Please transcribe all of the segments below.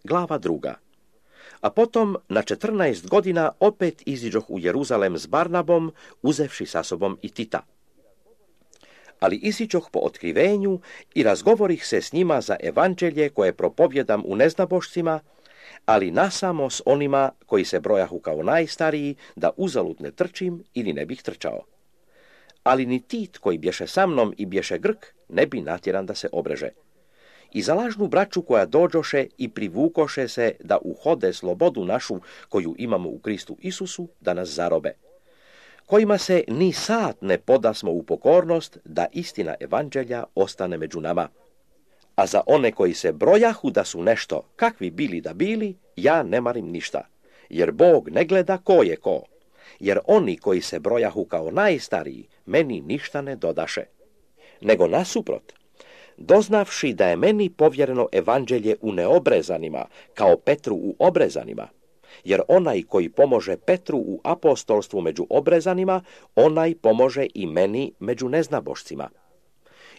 glava 2. A potom na 14 godina opet iziđoh u Jeruzalem s Barnabom, uzevši sa sobom i Tita. Ali iziđoh po otkrivenju i razgovorih se s njima za evanđelje koje propovjedam u neznabošcima, ali nasamo s onima koji se brojahu kao najstariji, da uzalud ne trčim ili ne bih trčao. Ali ni Tit koji bješe sa mnom i bješe Grk ne bi natjeran da se obreže. I za lažnu braću koja dođoše i privukoše se da uhode slobodu našu koju imamo u Kristu Isusu, da nas zarobe, kojima se ni sat ne podasmo u pokornost da istina evanđelja ostane među nama. A za one koji se brojahu da su nešto, kakvi bili da bili, ja ne marim ništa, jer Bog ne gleda ko je ko, jer oni koji se brojahu kao najstariji, meni ništa ne dodaše. Nego nasuprot, doznavši da je meni povjereno evanđelje u neobrezanima, kao Petru u obrezanima, jer onaj koji pomože Petru u apostolstvu među obrezanima, onaj pomože i meni među neznabošcima.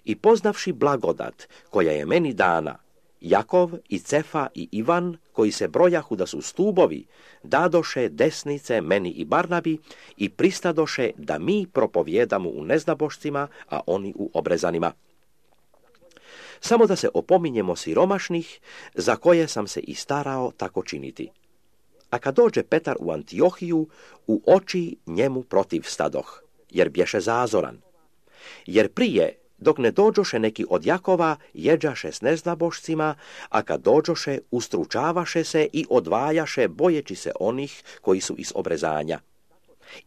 I poznavši blagodat koja je meni dana, Jakov i Cefa i Ivan, koji se brojahu da su stubovi, dadoše desnice meni i Barnabi i pristadoše da mi propovjedamo u neznabošcima, a oni u obrezanima. Samo da se opominjemo siromašnih, za koje sam se i starao tako činiti. A kad dođe Petar u Antiohiju, u oči njemu protiv stadoh, jer bješe zazoran. Jer prije, dok ne dođoše neki od Jakova, jeđaše s neznabošcima, a kad dođoše, ustručavaše se i odvajaše, bojeći se onih koji su iz obrezanja.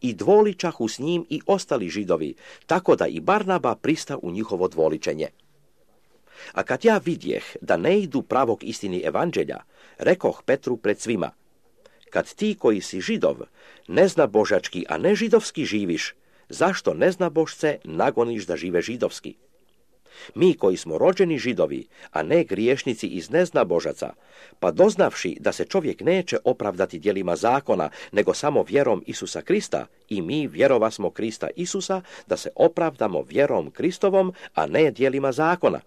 I dvoličahu s njim i ostali Židovi, tako da i Barnaba prista u njihovo dvoličenje. A kad ja vidjeh da ne idu pravog istini evanđelja, rekoh Petru pred svima: kad ti koji si Židov, neznabožački, a ne židovski živiš, zašto neznabošce nagoniš da žive židovski? Mi koji smo rođeni Židovi, a ne griješnici iz neznabožaca, pa doznavši da se čovjek neće opravdati djelima zakona, nego samo vjerom Isusa Krista, i mi vjerovasmo Krista Isusa, da se opravdamo vjerom Kristovom, a ne djelima zakona.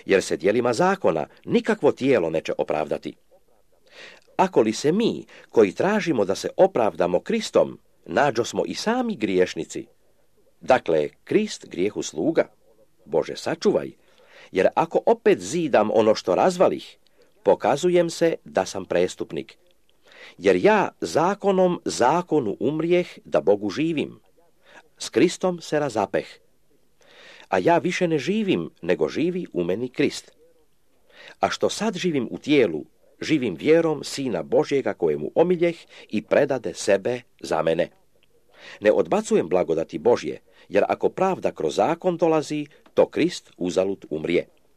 Jer se djelima zakona nikakvo tijelo neće opravdati. Ako li se mi, koji tražimo da se opravdamo Kristom, nađosmo i sami griješnici, dakle, Krist grijehu sluga, Bože sačuvaj, jer ako opet zidam ono što razvalih, pokazujem se da sam prestupnik. Jer ja zakonom zakonu umrijeh da Bogu živim, s Kristom se razapeh. A ja više ne živim, nego živi u meni Krist. A što sad živim u tijelu, živim vjerom Sina Božjega kojemu omiljeh i predade sebe za mene. Ne odbacujem blagodati Božje, jer ako pravda kroz zakon dolazi, to Krist uzalud umrije.